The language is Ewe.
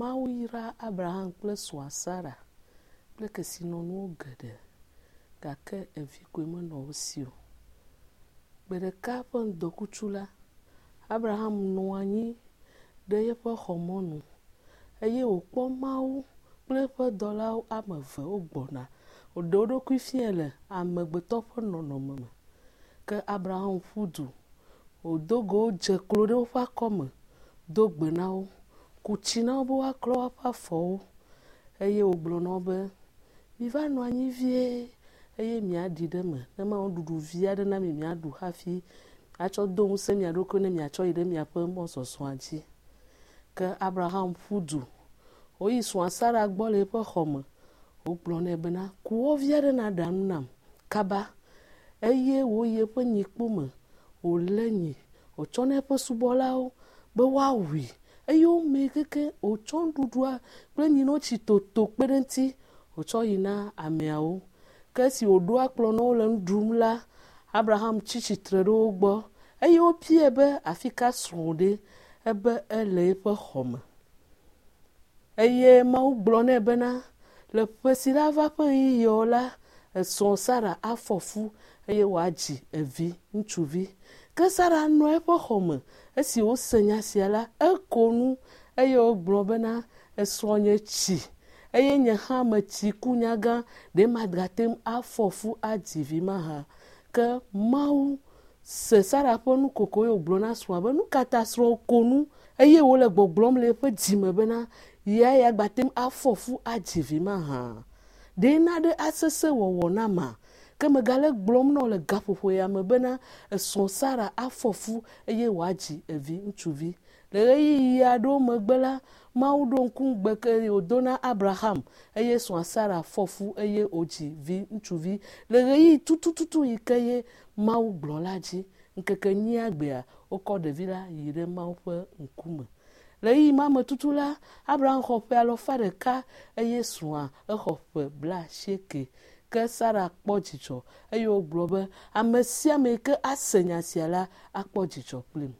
Mawu yra Abraham kple srɔ̃a Sara kple kesinɔnuwo geɖe gake evi koe menɔ wo si o. Gbe ɖeka ƒe ŋdɔkutsu la, Abraham nɔ anyi ɖe eƒe xɔ mɔnu eye wòkpɔ Mawu kple eƒe dɔlawo ame eve wogbɔna. Woɖe wo ɖokui fiae le amegbetɔ ƒe nɔnɔme me. Ke Abraham ƒu du, wòdo go wo dze klo ɖe woƒe akɔme, do gbe na wo, ku tsi na wo be woaklɔ woƒe afɔwo eye wògblɔ na wo be, Miva nɔ anyi vie eye miaɖi ɖe eme ne mawɔ nuɖuɖu vi aɖe na mi miaɖu hafi atsɔ do ŋusẽ mia ɖokui ne miatsɔ yi ɖe miaƒe mɔzɔzɔa dzi. Ke Abraham ƒu du, wòyi srɔ̃a Sara gbɔ le eƒe xɔ me. Wògblɔ nɛ bena, Ku wɔ vi aɖe nàɖa nu nam kaba. Eye wòyi eƒe nyikpo me, wòlé nyi, wòtsɔ na eƒe subɔlawo be woawui. Eye womee kekeŋ, wòtsɔ nuɖuɖua kple nyinotsi toto kpe ɖe eŋuti, wòtsɔ yi na ameawo. Ke esi wòɖo akplɔ na wo le nu ɖum la, Abraham tsi tsitre ɖe wo gbɔ eye wobiae be, Afi ka srɔ̃wò ɖe? Ebe, Ele eƒe xɔ me. Eye Mawu gblɔ nɛ bena, Le ƒe si lava ƒe ɣeyiɣiawo la, esrɔ̃ Sara afɔ fu eye wòadzi evi ŋutsuvi. Ke Sara nɔ eƒe xɔ me. Esi wòse nya sia la, eko nu eye wògblɔ bena, Esrɔ̃nye tsi eye nye hã metsi ku nyagã, ɖe magate ŋu afɔ fu adzi vi mahã? Ke Mawu se Sara ƒe nukoko eye wògblɔ na srɔ̃a be, Nu ka ta srɔ̃wò ko nu eye wòle gbɔgblɔm le eƒe dzi me bena, ye yeagbate ŋu afɔ fu adzi vi mahã? Ɖe naɖe asesẽ wɔwɔ nama? Ke megale egblɔm na wò le gaƒoƒo ya me bena, esrɔ̃ Sara afɔ fu eye wòadzi evi ŋutsuvi. Le ɣeyiɣi aɖewo megbe la, Mawu ɖo ŋku ŋugbe ke wòdo na Abraham, eye srɔ̃a Sara fɔ fu eye wòdzi vi ŋutsuvi le ɣeyiɣi tutututu yi ke ye Mawu gblɔ la dzi. Ŋkeke enyia gbea, wokɔ ɖevi la yi ɖe Mawu ƒe ŋkume. Le ɣeyiɣi ma me tutu la, Abraham xɔ ƒe alafa ɖeka eye srɔ̃a exɔ ƒe blaasieke. Ke Sara kpɔ dzidzɔ eye wògblɔ be, Ame sia ame yi ke ase nya sia la akpɔ dzidzɔ kplim.